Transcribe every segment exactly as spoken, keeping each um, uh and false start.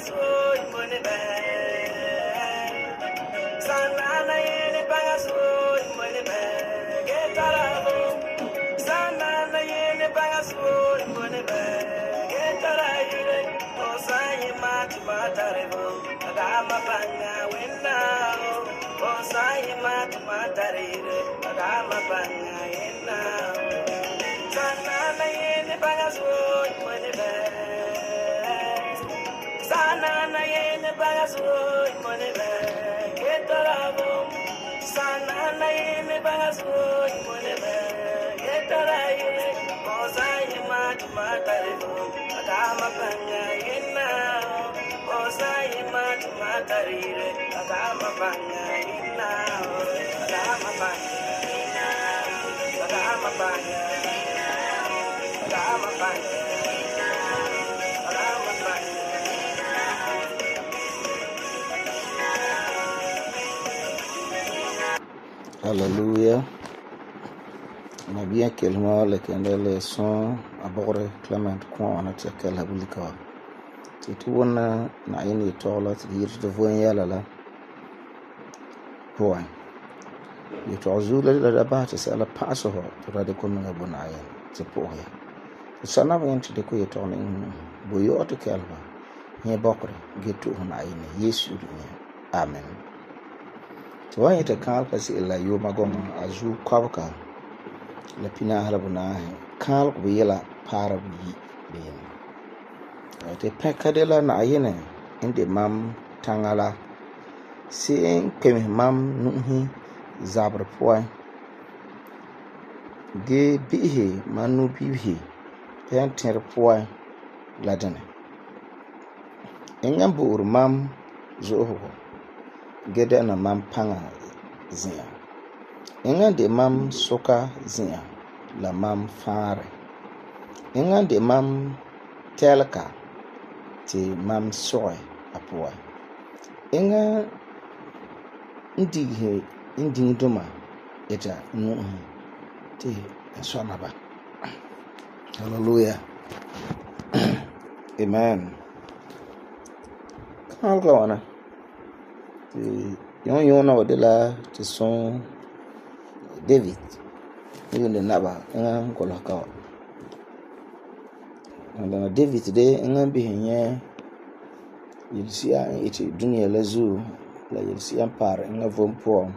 bagasoy money bag. Sanana yene bagasoy money bag. Get arabo. Sanana yene bagasoy money bag. Get arayure. Osayi mati matarebo. Agama banga winna. Osayi mati matarebo. Agama banga winna. Sanana yene bagasoy money bag. Sanana yene bagasoy money bag. Get arabo. Sanana yene bagasoy money bag. Get arayure. Osayi mati matarebo. Agama banga winna. Osayi mati matarebo. Agama banga winna. Agama banga winna. Agama banga. Agama banga. Agama banga. Hallelujah. Nabiya kelma le kendele son abore Clement kwa ana tekel habulika. Titu wana na ini tola tiyir de voyen yala la. Point. Ye tozula la da ba ta sala paso ho to de ko nga bona ayen te poya. Sana ba yenti de ko ye tona in boyo to kelba. Nye bokre gitu na ini Yesu ni. Amen. Tuwa ita kal kasi ila yo magoma azu kwabka la pina halabuna kal ko yela para bi ben te pekadela na ayene inde mam tangala sin kemi mam nuhi zabra poy de bihe manu bihe pen ter poy la dane engam bu mam zo ho gede na mam panga zia inga de mam soka zia la mam fare inga de mam telka ti mam soy apoa inga ndihe indinduma eta nu ti sona ba. Hallelujah. Amen. Kalkawana yon yon na wadela ti son David yon de naba nga kola ka na David de nga bihenye yelsia iti dunia la zu la yelsia par nga vompo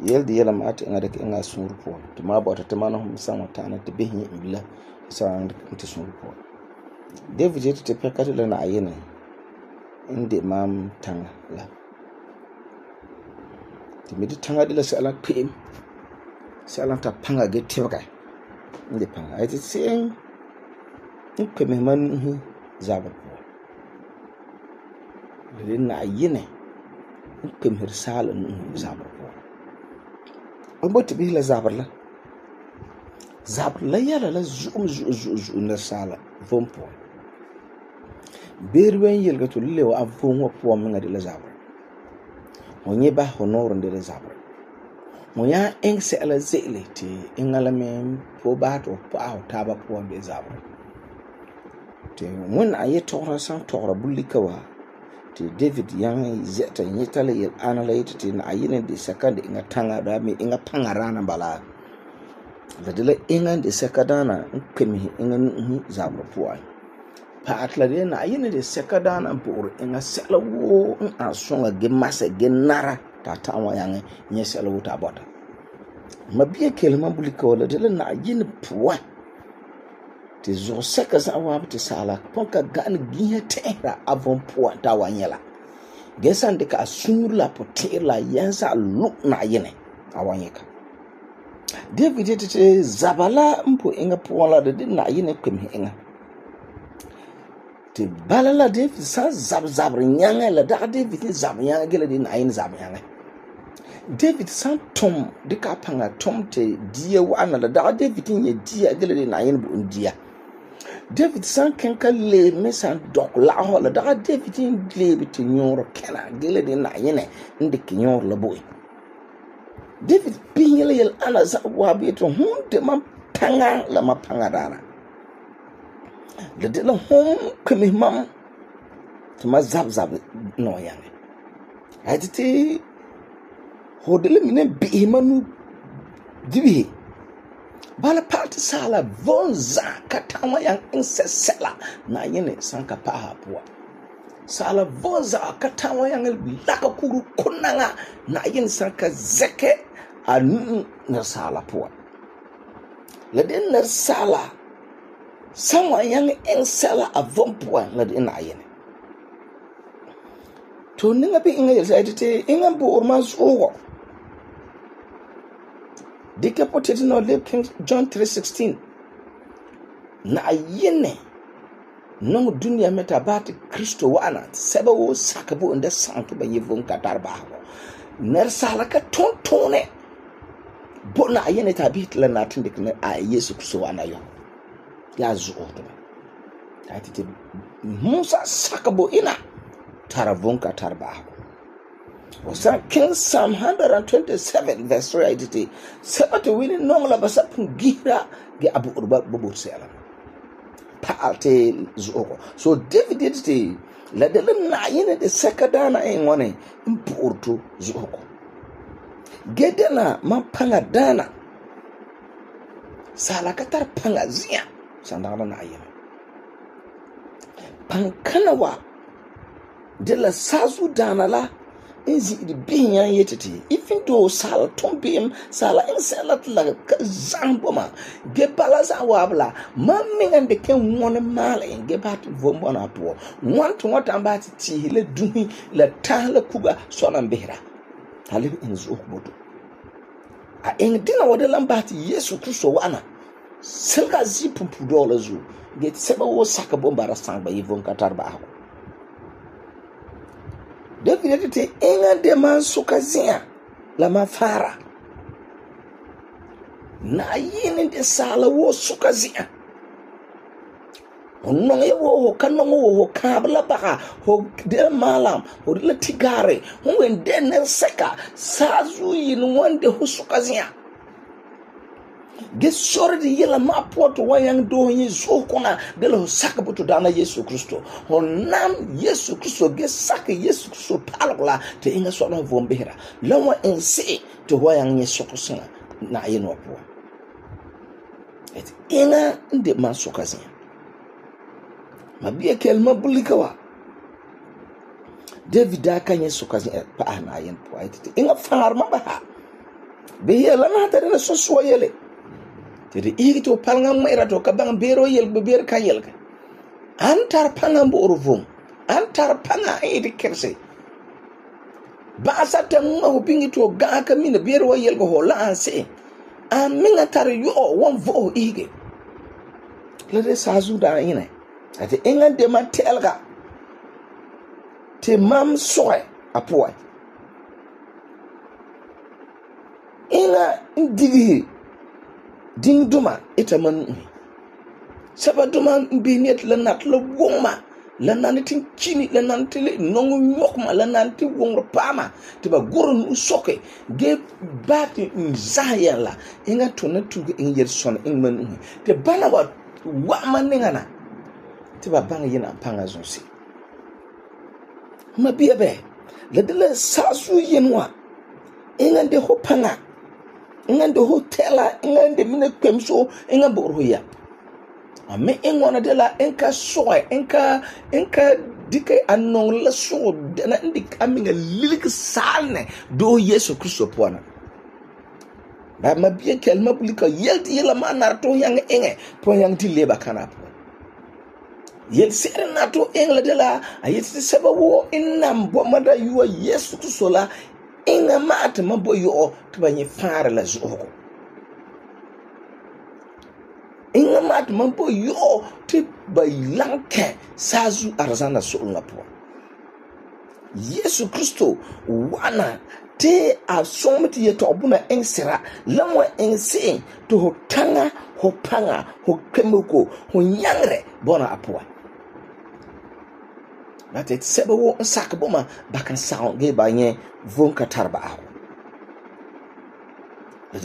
yel de yela mat nga de nga surpo to ma bota te mano san watana te bihenye mbila san ti surpo David iti te pekati la na ayene inde mam tanga la midi tanga de la sala pim sala ta panga ge tewga inde panga ite sen in peme man hu zabar ko le na yene in peme sala nu zabar ko omboti bi la zabar la zabar la yala la zum zu zu na sala vompo berwen yelga to le wa avon wa po menga de la zabar monye ba honor de zabre moya engse ala zele ti ingala men po ba to pa ta ba po be zabre te mun aye tora san tora bulikawa ti David yang zeta nyetale yel analyte ti na ayine de second inga tanga da mi inga pangarana bala da dele inga de sekadana nkemi inga zabre po ai pa atlade na ayine de sekadana bor inga selawo in asonga ge masa ge nara ta tawa yange nye selawo ta bota mabiye kelma bulika wala de na ayine puwa te zo seka za wa te sala ponka gan gihe tera avon puwa ta wanyela gesan de ka sur la potela yansa lu na ayine awanyeka David te zabala mpo inga puwa la de na ayine kwemi inga te balala David sa zab zabr nyanga la da David zab nyanga gele din ayin zab nyanga David san tom de ka panga tom te dia wana la da David nye dia gele din ayin bu dia David san kenka le mesan dok la ho la da David le biti nyoro kena gele din ayin inde kinyor la boy David pinyele yel ana za wa beto hunde man panga la mapanga dara le de la hom kemi mam te ma zab zab no yange ai te ho de le mine bihi manu dibihi bala party sala vonza katama yang insesela na yene sanka paha poa sala vonza katama yang laka kuru kunanga na yene sanka zeke anu na sala poa la den na sala sama yang insela avon poa la den na yene to ninga bi inga yelsa te inga bo orma zuwa dika potete no le King John three sixteen na yene no dunia meta bat Kristo wana sebe wo sakabo nda santo ba yevon katar ba ho ner sala ka tontone bo na yene ta bit la na tinde ne a Yesu Kristo wana yo ya zuo to ta tete Musa sakabo ina taravon katar ba ho Osa King Psalm one twenty-seven verse three eighty. Sabata wini nong la basa pungira ge abu urba bubu sela. Paalte zuoko. So David did te la de na yene de sekadana en wane impurtu zuoko. Gedena ma panga dana. Sala katar panga zia sandana na yene. Pankanawa de la sazu dana la inzi di binya yetete even though sala tombim sala inselat la zamboma ge balaza wabla mamminga de ken wona mala en ge bat vombona to want what ambati ti le duhi la tala kuga sona mbehra hale inzu bodo a en dina wode lambati Yesu Kristo wana selga zipumpu dola zu ge seba wo saka bombara sangba yivon katarba ho David te inga de man sukazia la mafara na yini de sala wo sukazia onno ye wo kanno wo kabla baka ho de malam ho de tigare ho wende ne seka sazu yin wonde ho sukazia ge sordi yela ma poto wayang do yi zokona de lo sakabuto dana Yesu Kristo honam Yesu Kristo ge saka Yesu Kristo palgola te inga sona vombera lawa ense to wayang Yesu Kristo na yeno po et inga de man sokazin mabie kelma bulikawa David aka Yesu kazin pa na yen po et inga farma ba be yela na tare na so so yele tede igito palngam mayra to kabang bero yel be ber kan yel ka antar pangam bo orvum antar panga edi kerse ba sata mo bingi to ga ka mina bero yel go hola anse aminga tar yo won vo ige le de sazu da ine ate enga de matelga te mam soe apoa inga ndigi ding duma ita man saba duma binet la nat la wongma la nanitin chini la nantile nongu nyokma la nanti wongro pama te ba gorun usoke ge bati nzaya la inga tona tuge in yer son in man te bana wa wa maningana te ba banga yina panga zonsi ma biebe la de la sasu yenwa inga de hopanga ngande hotela ngande mine kwemso ngam borhoya ame engwana de la enka soy enka enka dike anon la so na ndik aminga lilik salne do Yesu Kristo pona ba mabie kelma bulika yelti yela manar to yang enge po yang ti leba kana po yel sere na to engla de la ayeti seba wo inam bo mada yuwa Yesu Kristo la inga mata mabo yo tubanye fara la zoko inga mata mabo yo te bailanke sazu arzana so ngapo Yesu Kristo wana te asomti yeto obuna ensera lamwa ense to hotanga hopanga hokemuko honyangre bona apwa na te sebe wo nsaka boma bakan saon ge banye von katarba aho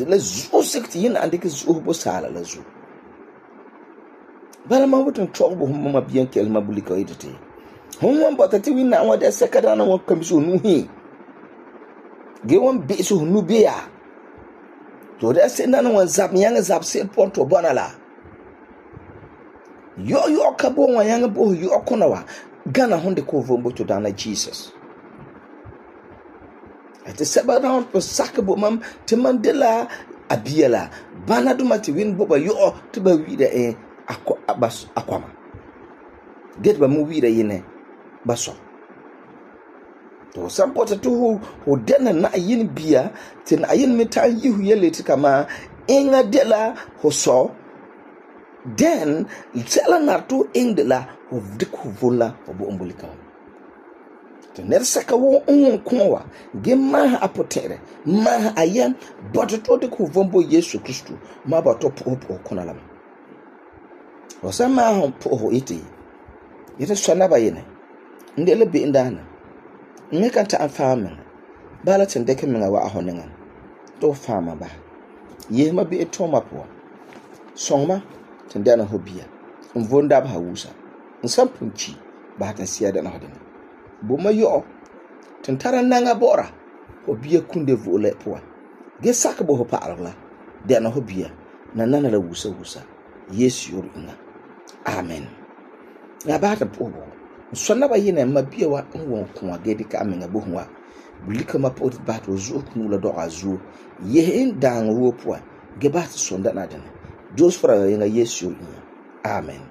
la zo sekti yin ande ke zo bo sala la zo bala ma wotun trobo humma biyan kel mabulika yidete hon wan bɔta tɩ wẽnnaam wa da sɛka daana wan kãmse fu nusi ge wan be'ese fu nu bea tɩ da se'em daana wan zab yãngɛ zab se'em pʋgẽ tɩ bɔna la yɔ yɔ ka bo wan yãngɛ bo yɔ kʋna wa gana hon de ko vom bo to daana Jesus tɩ sɛba na po sakɛ bo mam tɩ mam de la a bia la bana duma tɩ wẽnd bo ba yɔ tɩ ba wi'ira ẽ a kɔma ge tɩ ba me wi'ira yenɛ ba sɔ tɩ fu san bɔta tɩ fu dɛna Na'ayinɛ bia tɩ Na'ayinɛ me ta'am yi fu yele tɩ kama eŋa de la fu sɔ den sɛla nar tɩ fu iŋɛ de la fu dɩk fu vom la fu bo'om bulika wa tɩ nɛresɛka woo n wʋn kʋɔ wa ge maasɛ a pʋtɛ'ɛrɛ maasɛ a yɛm bɔtɔ tɩ fu dɩk fu vom bo Yesu Kristo ma ba tɩ pʋgɛ pʋgɛ kʋna la me fu san maasɛ pʋgɛ fu yetɩ yetɩ sɔna ba yenɛ n de la be'em daana n me kan ta'am faam meŋa bala tɩ n dɩkɛ meŋa wa'a fu nengẽ tɩ fu faama basɛ yesema be'em tʋʋma puan sõŋma tɩ n dɛna fu bia n vom dabesa wusa n san pʋn ki basɛ tɩ n sɩa dɛna fu dɩna boma yɔ tɩ n tara naŋa bɔ'ɔra fu bia kunde vo'ole puan ge sakɛ bo fu pa'alegɔ la dɛna fu bia nanana la wusa wusa Yesu yʋʋr inga amen ya basɛ tɩ pʋgɛ bo n sõna ba yenɛ ma bia wa n wɔn kʋa ge dɩka a meŋa bo fu wa bulika ma pʋgɛ tɩ basɛ tɩ fu zu'u kũu la dɔgɛ a zuo yese n daaŋɔ woo puan ge basɛ tɩ sõn dɛna dɩna Joseph ra yenga Yesu yʋʋr inga amen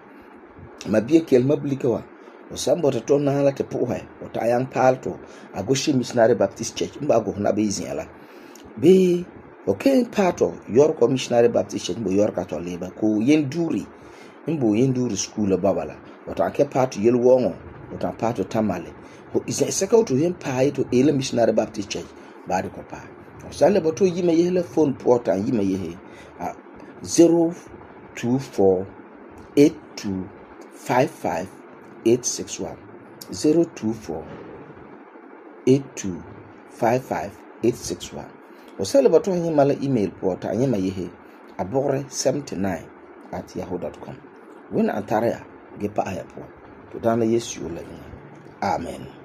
ma bia kelma bulika wa o san bɔta tɩ na la tɩ pʋgɛ o ta yang paal tɩ a Goshen Missionary Baptist Church n ba go na be zĩa la bee o ken paa tɩ Yorkɔ Missionary Baptist Church n bo Yorka tɩ leba ko yen duuri n bo yen duuri school la baba la o ta ke paa tɩ yel wɔŋɔ o ta paa tɩ Tamale o zẽsɛka tɩ yen paa ye tɩ Ela Missionary Baptist Church baade ko paa o san le bɔta yima yese la phone pʋgɛ tɩ yima yese zero two four eight two five five eight six one zero two four eight two five five eight six one o sele bato hanyi mala email po ta hanyi ma yehe abore seventy-nine at yahoo dot com wena antare ya ge pa aya po to dana Yesu la ina amen.